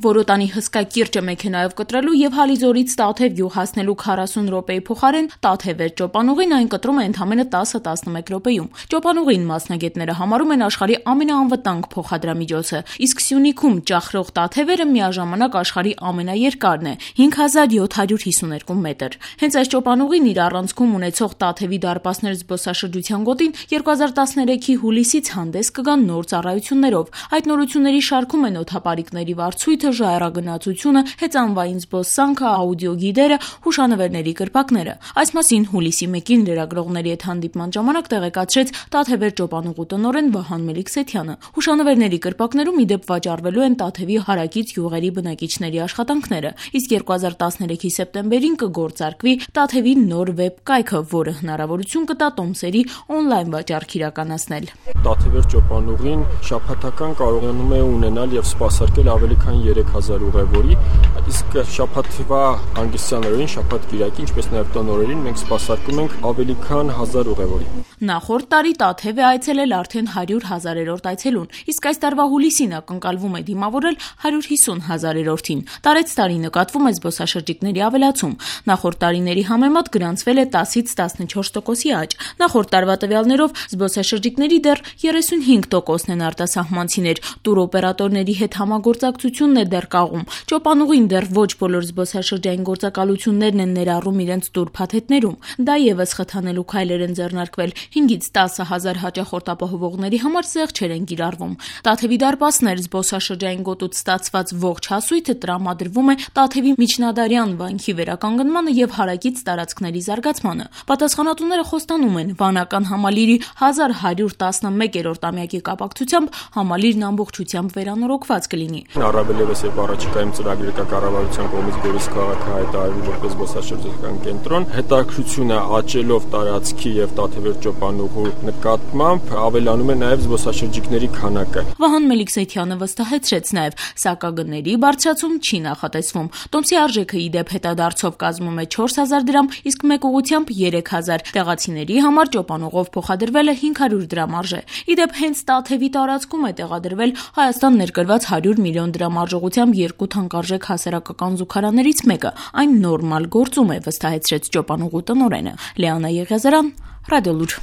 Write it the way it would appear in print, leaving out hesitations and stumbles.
Որոտանի հսկա կիրճը մեքենայով կտրելու եւ Հալիձորից Տաթև գյուղ հասնելու 40 րոպեի փոխարեն Տաթևեր ճոպանուղին այն կտրում է ընդամենը 10-11 րոպեում։ Ճոպանուղին մասնագետները համարում են աշխարհի ամենաանվտանգ փոխադրամիջոցը, իսկ Սյունիքում ճախրող Տաթևերը միաժամանակ աշխարհի ամենաերկարն է՝ 5752 մետր։ Հենց այս ճոպանուղին իր առանցքում ունեցող Տաթևի դարպասներ զբոսաշրջության գոտին 2013-ի հուլիսից հանդես կգան նոր ծառայություններով։ Այդ նորությունների շարքում են օդապարիկների վարձույթը, ժայռագնացությունը, հեծանվային զբոսանքը, աուդիոգիդերը, հուշանվերների կրպակները։ Այս մասին հուլիսի 1-ին լրագրողների հետ հանդիպման ժամանակ տեղեկացրեց Տաթևեր ճոպանուղու տնօրեն Վահան Մելիքսեթյանը։ Հուշանվերների կրպակներում ի դեպ վաճառվելու են Տաթևի հարակից գյուղերի բնակիչների աշխատանքները, իսկ 2013-ի սեպտեմբերին կգործարկվի Տաթևի նոր վեբ կայքը, որը հնարավորություն կտա տոմսերի օնլայն վաճառք իրականացնել։ Տաթևեր ճոպանուղին շաբաթական կարողանում է ունենալ եւ սպասարկել ավելի քան 3000 ուղևորի, իսկ շաբաթվա հանգստյան օրերին, շաբաթ-կիրակի, ինչպես նաեւ տոնորերին մենք սպասարկում ենք ավելի քան 1000 ուղևորի։ Նախորդ տարի Տաթև է այցելել արդեն 100,000-րդ այցելուն, իսկ այս տարվա հուլիսին ակնկալվում է դիմավորել 150,000-րդին։ Տարեցտարի նկատվում է զբոսաշրջիկների ավելացում։ Նախորդ տարիների համեմատ գրանցվել է 10-ից 14% աճ։ Նախորդ տարվա տվյալներով զբոսաշրջիկների դեռ 35%-ն են արտասահմանցիներ։ Տուրօպերատորների հետ համագործակցությունն է դեռ կաղում։ Ճոպանուղին դեռ ոչ բոլոր զբոսաշրջային գործակալություններն են ներառում իրենց տուրփաթեթներում։ Դա եւս խթանելու քայլեր են ձեռնարկվել։ 5-ից 10,000 հաճախորդ ապահովողների համար զեղչեր են կիրառվում։ Տաթևի դարպասներ զբոսաշրջային գոտուց ստացված ողջ հասույթը տրամադրվում է Տաթևի միջնադարյան վանքի վերականգնմանը եւ հարակից տարածքների զարգացմանը։ Պատասխանատուները խոստանում են, վանական համալիրի 1111-րդ ամյակի կապակցությամբ համալիրն ամբողջությամբ վերանորոգված կլինի։ Առավել եւս երբ առաջիկայում ծրագիրը կա կառավարության կողմից Գորիս քաղաքը հայտարարվում որպես զբոսաշրջական կենտրոն, հետաքրությունը աճելով տարածքի եւ Տաթևեր ճոպանուղու նկատմամբ ավելանում է նաեւ զբոսաշրջիկների քանակը։ Վահան Մելիքսեթյանը վստահեցրեց նաեւ, սակագների բարձրացում չի նախատեսվում։ Տոմսի արժեքը ի դեպ հետադարձով կազմում է 4000 դրամ, իսկ մեկ ուղղությամբ 3000։ Տեղացիների համար ճոպանուղով փոխադրվելը 500 դրամ արժե։ Ի դեպ հենց Տաթևի տարածքում է տեղադրվել Հայաստան ներկրված 100 միլիոն դրամ արժողությամբ 2 թանկարժեք հասարակական զուգարաններից մեկը։ Այն նորմալ գործում է, վստահեցրեց ճոպանուղու տնօրենը։ Լեանա Եղիազարյան, Ռադիոլուր։